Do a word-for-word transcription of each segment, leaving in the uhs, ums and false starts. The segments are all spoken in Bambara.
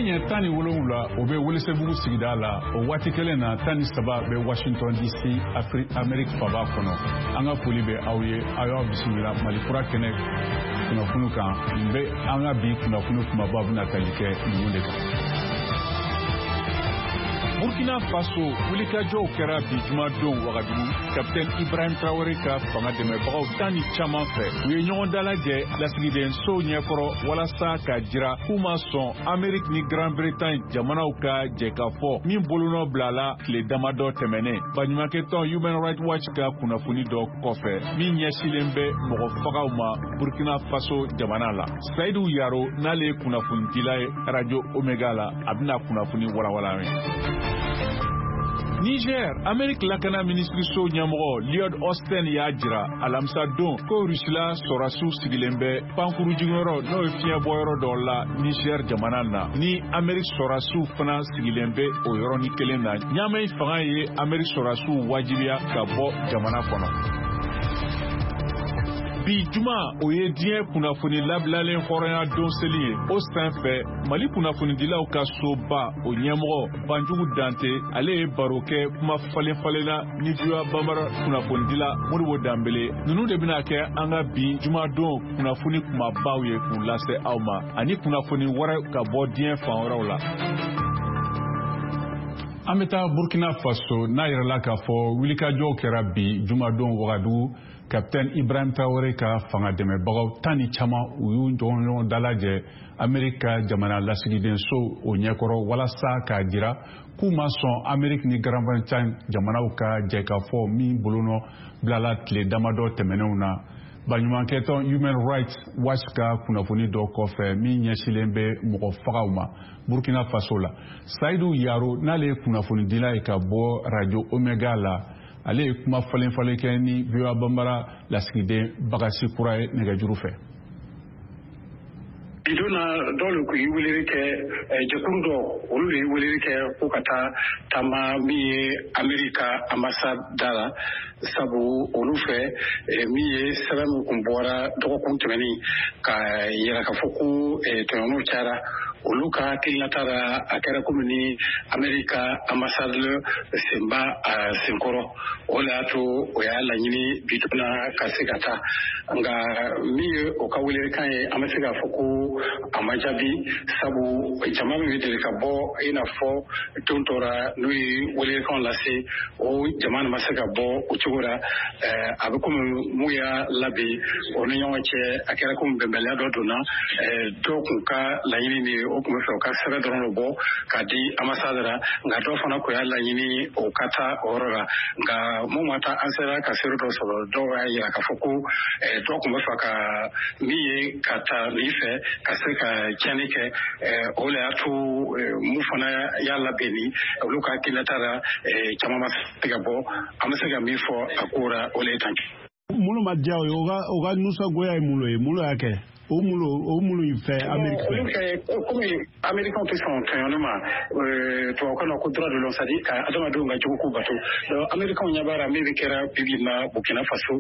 Nɛgɛ ɲɛ tan ni wolonwula, o bɛ Welesebugu sigida la. O waati kelen na, tan ni saba bɛ Washington D C, Afri Amerique faba kɔnɔ. An ka foli bɛ aw ye, aw y'aw bisimila Mali Kura kɛnɛ kunnafoni kan. Nin bɛ an ka bi kunnafoni kumabaw bɛna tali kɛ ninnu de kan. Burkina Faso, wulikajɔw kɛra bi jumadon Wagadugu, Kapitɛni Ibrahim Traoré ka fanga dɛmɛbagaw tan ni caman fɛ. U ye ɲɔgɔn dalajɛ lasigidensow ɲɛkɔrɔ walasa k'a jira k'u ma sɔn Amerique ni Grande-Bretagne jamanaw ka jɛkafɔ min bolonɔ bilala tile damadɔ tɛmɛnen, baɲumankɛtɔn Human Rights Watch ka kunnafoni dɔ kɔfɛ min ɲɛsilen bɛ mɔgɔ fagaw ma Burkina Faso jamana la. Sayidu Yaro, n'ale ye kunnafonidila ye Radio Omega la, a bɛna kunnafoni walawala an ye. Niger, Amerique lakana minisiriso ɲɛmɔgɔ Lloyd Austin y'a jira alamisa don ko Rusila sɔrɔdasiw sigilen bɛ pankuru jiginyɔrɔ, n'o ye fiɲɛbɔyɔrɔ dɔ la Niger jamana na, ni Amerique sɔrɔdasiw fana sigilen bɛ o yɔrɔnin kelen na. Ɲamɛ fanga ye Amerique sɔrɔdasiw wajibiya ka bɔ jamana kɔnɔ. Bi juma, o ye diɲɛ kunnafoni labilalen hɔrɔnya don seli ye. O sen fɛ, Mali kunnafonidilaw ka soba o ɲɛmɔgɔ Banjugu Dante, ale ye baro kɛ kuma falen falenna ni V O A Bambara kunnafonidila Modibo Danbele. Ninnu de bɛna kɛ an ka bi jumadon kunnafoni kumabaw ye k'u lase aw ma, ani kunnafoni wɛrɛ ka bɔ diɲɛ fan wɛrɛw la. An bɛ taa Burkina Faso, n'a yɛrɛla k'a fɔ wulikajɔw kɛra bi jumadon Wagadugu, Capitaine Ibrahim Traoré ka fanga dɛmɛbagaw tan ni caman, u y'u ɲɔgɔn dalajɛ Amerique ka jamana lasigidenso o ɲɛkɔrɔ walasa k'a jira k'u ma sɔn Amerique ni Grande-Bretagne jamanaw ka jɛkafɔ min bolonɔ bilala tile damadɔ tɛmɛnenw na, baɲumankɛtɔn Human Rights Watch ka kunnafoni dɔ kɔfɛ min ɲɛsilen bɛ mɔgɔ fagaw ma Burkina Faso la. Sayidu Yaro, n'ale ye kunnafonidila ye ka bɔ Radio Omega la, ale ye kuma falen falen kɛ ni V O A Bambara lasigiden Bagasi Kura ye nɛgɛjuru fɛ. Bi don na, dɔw le kun ye weleli kɛ, jɛkulu dɔ, olu de ye weleli kɛ ko ka taa taama min ye Ameriki ka ambassade da la, sabu olu fɛ, min ye sɛbɛn min kun bɔra dɔgɔkun tɛmɛnen ka yira k'a fɔ ko tɔɲɔgɔnw cayara, olu ka hakilinata la, a kɛra komi ni Ameriki ka ambassade sen b'a a senkɔrɔ. O de y'a to o y'a laɲini bi don na ka se ka taa. Nka min ye o ka welelikan ye, an bɛ se k'a fɔ ko a ma jaabi, sabu jama min bɛ deli ka bɔ i n'a fɔ don dɔ la n'o ye welelikanw lase, o jama ma se ka bɔ o cogo la. A bɛ komi mun y'a labɛn, o ni ɲɔgɔn cɛ, a kɛra komi bɛnbaliya dɔ donna. Dɔw kun ka laɲini de ye, o tun bɛ fɛ u ka sɛbɛn dɔrɔn de bɔ k'a di ambassade la, nka dɔw fana kun y'a laɲini o ka taa o yɔrɔ la. Nka mun ma taa, an sera ka seere dɔ sɔrɔ, dɔw y'a yira k'a fɔ ko dɔw tun bɛ fɛ ka min ye ka taa nin fɛ ka se ka tiɲɛni kɛ. O de y'a to mun fana y'a labɛn ni olu ka hakilinata la, caman ma se ka bɔ. An bɛ se ka min fɔ a ko la, o de ye tan. Minnu ma diya o ye, o ka o ka nisɔngoya ye mun ye? Mun y'a kɛ o mun o minnu fɛ Ameriki fɛ? Olu fɛ, komi Amerikɛnw tɛ sɔn tɔɲɔni ma, tubabukan na ko droit de l'homme, c'est à dire ka adamadenw ka jogo ko bato. Donc Amerikɛnw ɲɛ b'a la min bɛ kɛra bi bi in na Burkina Faso,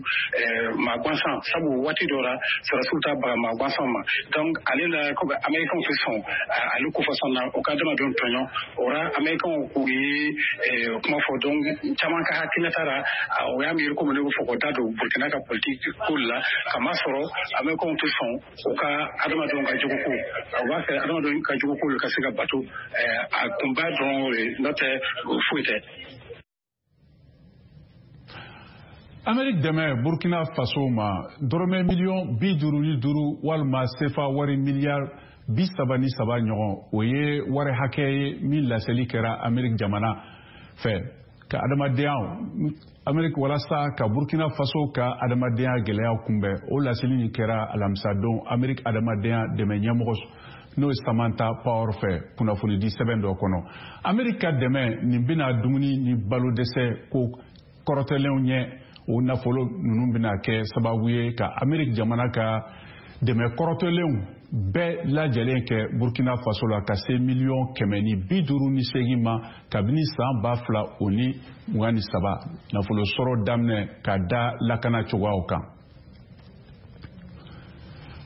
maa gansan, sabu waati dɔ la sɔrɔdasiw ta baga maa gansan ma. Donc ale la, komi Amerikɛnw tɛ sɔn ale ko fasɔn na o ka adamadenw tɔɲɔ, o la Amerikɛnw k'u ye kuma fɔ. Donc caman ka hakilinata la, o y'a miiri komi ne bɛ fɔ k'o da don Burkina ka politique ko la, kamasɔrɔ Amerikɛnw tɛ sɔn u ka adamadenw ka jogo ko, u b'a fɛ adamadenw ka jogo ko ka se ka bato. A kunba dɔrɔn o ye, n'o tɛ foyi tɛ. Amerique dɛmɛ Burkina Faso ma, dɔrɔmɛ miliyɔn bi duuru ni duuru walima sefa wari miliyari bi saba ni saba ɲɔgɔn, o ye wari hakɛ ye min laseli kɛra Amerique jamana fɛ ka adamadenya Amerique walasa ka Burkina Faso ka adamadenya gɛlɛya kunbɛn. O laseli nin kɛra alamisadon Amerique adamadenya dɛmɛ ɲɛmɔgɔ, n'o ye Samantha Power fɛ, kunnafonidi sɛbɛn dɔ kɔnɔ. Amerique ka dɛmɛ nin bɛna dumuni ni balo dɛsɛ ko kɔrɔtɛlenw ɲɛ. O nafolo ninnu bɛna kɛ sababu ye ka Amerique jamana ka dɛmɛ kɔrɔtɛlenw bɛɛ lajɛlen kɛ Burkina Faso la ka se miliyɔn kɛmɛ ni bi duuru ni seegin ma kabini san ba fila o ni mugan ni saba nafolo sɔrɔ daminɛ ka da lakana cogoyaw kan.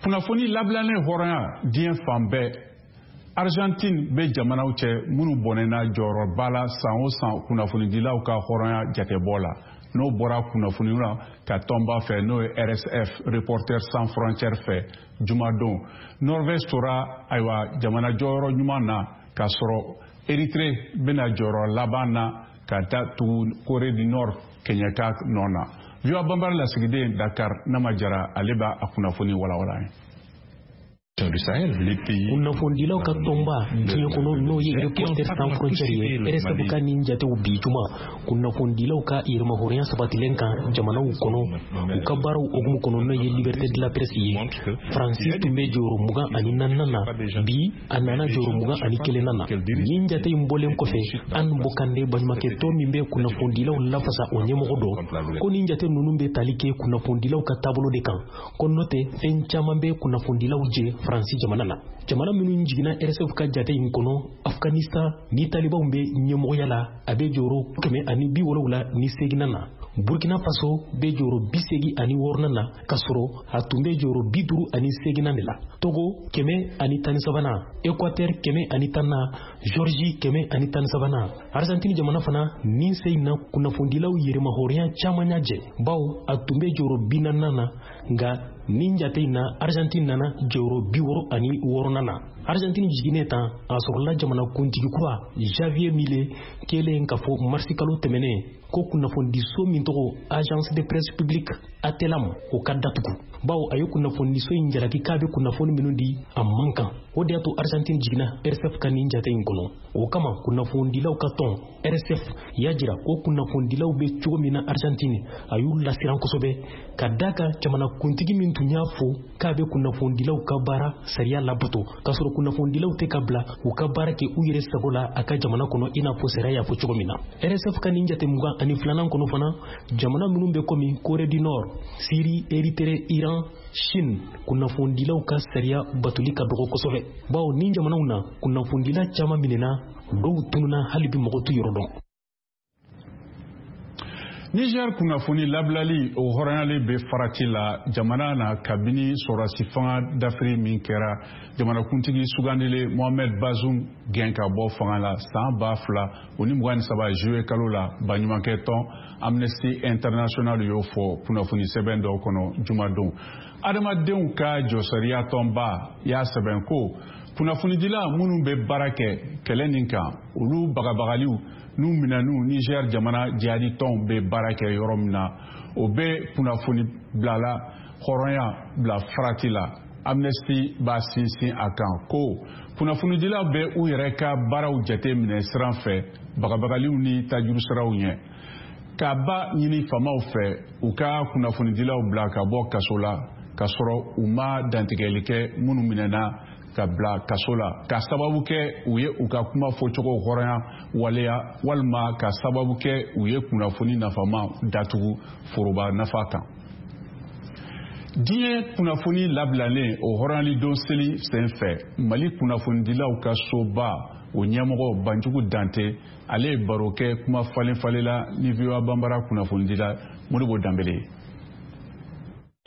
Kunnafoni labilannen hɔrɔnya diɲɛ fan bɛɛ. Argentine bɛ jamanaw cɛ minnu bɔnɛna jɔyɔrɔba la san o san kunnafonidilaw ka hɔrɔnya jatebɔ la, n'o bɔra kunnafoniw la ka tɔnba fɛ, n'o ye R S F, Reporters sans frontières fɛ jumadon. Norvège tora, ayiwa, jamana jɔyɔrɔ ɲuman na, k'a sɔrɔ Érythrée bɛna jɔyɔrɔ laban na ka taa tugu Corée du Nord kɛɲɛka nɔ na. V O A Banbara lasigiden Dakar, Nama Jara, ale b'a a kunnafoni walawala ye. Kunnafonidilaw ka tɔnba diɲɛ kɔnɔ, n'o ye Reporters sans frontières ye, R S F ka nin jatew bi juma kunnafonidilaw ka yɛrɛmahɔrɔnya sabatilen kan jamanaw kɔnɔ, u ka baaraw hukumu kɔnɔ, n'o ye liberté de la presse ye, Faransi tun bɛ jɔyɔrɔ mugan ani naaninan na, bi a nana jɔyɔrɔ mugan ani kelennan na. Nin jate in bɔlen kɔfɛ, Anne Bocandé, baɲumankɛ tɔn min bɛ kunnafonidilaw lafasa, o ɲɛmɔgɔ dɔ ko nin jate ninnu bɛ tali kɛ kunnafonidilaw ka taabolo de kan, ko n'o tɛ, fɛn caman bɛ kunnafonidilaw jɛ Faransi jamana na. Jamana minnu jiginna R S F ka jate in kɔnɔ, Afghanistan ni talibanw bɛ ɲɛmɔgɔya la, a bɛ jɔyɔrɔ kɛmɛ ani bi wolowula ni seginnan na. Burkina Faso bɛ jɔyɔrɔ bi segi ani wɔɔrɔnan na, k'a sɔrɔ a tun bɛ jɔyɔrɔ bi duuru ani seginnan de la. Togo kɛmɛ ani tan ni sabanan, Équateur kɛmɛ ani tan na, Géorgie kɛmɛ ani tan ni sabanan. Argentine jamana fana nin se in na, kunnafonidilaw yɛrɛmahɔrɔnya caman y'a jɛ, bawo a tun bɛ jɔyɔrɔ bi naaninan na, nka nin jate in na, Argentine nana jɔyɔrɔ bi wɔɔrɔ ani wɔɔrɔnan na. Argentine jiginnen tan, a sɔrɔla jamana kuntigi kura Javier Milei kɛlen k'a fɔ marisi kalo tɛmɛnen ko kunnafonidiso min tɔgɔ Agence de presse publique Atelam, o ka datugu, bawo a ye kunnafonidiso in jalaki k'a bɛ kunnafoni minnu di, a man kan. O de y'a to Argentine jiginna R S F ka nin jate in kɔnɔ. O kama, kunnafonidilaw ka tɔn R S F y'a jira ko kunnafonidilaw bɛ cogo min na Argentine, a y'u lasiran kosɛbɛ, ka da kan jamana kuntigi min tun y'a fɔ k'a bɛ kunnafonidilaw ka baara sariya labato, k'a sɔrɔ kunnafonidilaw tɛ ka bila u ka baara kɛ u yɛrɛ sago la a ka jamana kɔnɔ, i n'a fɔ sariya y'a fɔ cogo min na. R S F ka nin jate mugan ani filanan kɔnɔ fana, jamana minnu bɛ komi Corée du Nord, Syrie, Érythrée, Iran, Chine, kunnafonidilaw ka sariya batoli ka dɔgɔ kosɛbɛ, bawo nin jamanaw na, kunnafonidila caman minɛna, dɔw tununa, hali bi mɔgɔ t'u yɔrɔ dɔn. Niger, kunnafoni labilali o hɔrɔnyali bɛ farati la jamana na kabini sɔrɔdasi fanga dafiri min kɛra, jamanakuntigi sugandilen Mohamed Bazoum gɛn ka bɔ fanga la san ba fila o ni mugan ni saba juillet kalo la. Baɲumankɛ tɔn Amnesty International y'o fɔ kunnafoni sɛbɛn dɔw kɔnɔ jumadon. Adamadenw ka jɔsariya tɔnba y'a sɛbɛn ko kunnafonidila minnu bɛ baara kɛ kɛlɛ nin kan, olu bagabagaliw n'u minɛniw Niger jamana jihadi tɔnw bɛ baara kɛ yɔrɔ min na, o bɛ kunnafoni bilala hɔrɔnya bila farati la. Amnesty b'a sinsin a kan ko kunnafonidilaw bɛ u yɛrɛ ka baaraw jate minɛ siran fɛ bagabagaliw ni tajurusiraw ɲɛ, k'a ba ɲini faamaw fɛ u ka kunnafonidilaw bila ka bɔ kaso la, k'a sɔrɔ u ma dantigɛli kɛ minnu minɛna ka bila kaso la ka sababu kɛ u ye u ka kuma fɔcogo hɔrɔnya waleya, walima ka sababu kɛ u ye kunnafoni nafama datugu foroba nafa kan. Diɲɛ kunnafoni labilalen o hɔrɔnyali don seli sen fɛ, Mali kunnafonidilaw ka soba o ɲɛmɔgɔ Banjugu Dante, ale ye baro kɛ kuma falen falenla ni V O A Banbara kunnafonidila Modibo Danbele ye.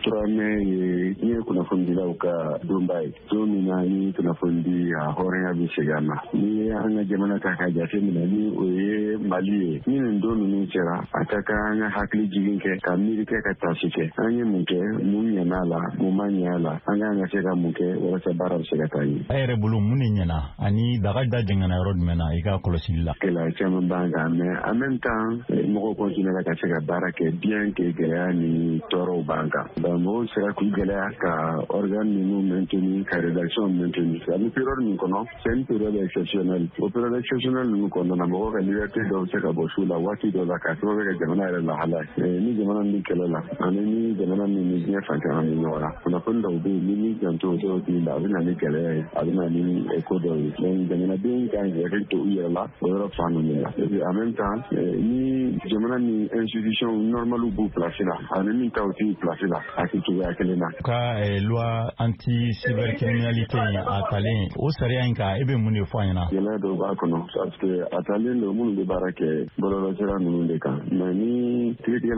Trois mai ye diɲɛ kunnafonidilaw ka donba ye, don min na ni kunnafonidi a hɔrɔnya bɛ segin a ma. Ni ye an ka jamana ta ka jate minɛ, ni o ye Mali ye, ni nin don ninnu sera, a ka kan an ka hakili jigin kɛ, ka miiri kɛ, ka tasi kɛ: an ye mun kɛ, mun ɲɛna a la, mun ma ɲɛ a la, an kan ka se ka mun kɛ walasa baara bɛ se ka taa ɲɛ. E yɛrɛ bolo, mun de ɲɛna ani daga da jɛngɛnna yɔrɔ jumɛn na i ka kɔlɔsili la? Gɛlɛya caman b'an kan, mais en même temps mɔgɔw continuera ka se ka baara kɛ, bien que gɛlɛya ni tɔɔrɔw b'an kan. Donc mɔgɔw sera k'u gɛlɛya ka organe ninnu maintenir, ka rédaction maintenir. A bɛ période min kɔnɔ, c'est une période exceptionnelle. O période exceptionnelle ninnu kɔnɔna na, mɔgɔw ka liberté dɔw bɛ se ka bɔ su la waati dɔw la, k'a sababu kɛ jamana yɛrɛ lahala ye. Ni jamana min bɛ kɛlɛ la ani ni jamana min ni diɲɛ fan caman bɛ ɲɔgɔn na, kunnafoni dɔw bɛ yen, ni m'i janto dɔw tigi la, a bɛ na ni gɛlɛya ye, a bɛ na ni ko dɔw ye. Donc jamanadenw kan k'i hakili to u yɛrɛ la o yɔrɔ fan ninnu la. Et puis en même temps, ni jamana ni institution normale b'u place la ani min taw t'u place la, a tɛ cogoya kelen na. Ka loi anti cybercriminalité a talen, o sariya in kan, e bɛ mun de fɔ an ɲɛna? Gɛlɛya dɔw b'a kɔnɔ, parce que a talen don minnu bɛ baara kɛ bɔlɔlɔsira ninnu de kan, mais ni kiiritigɛlaw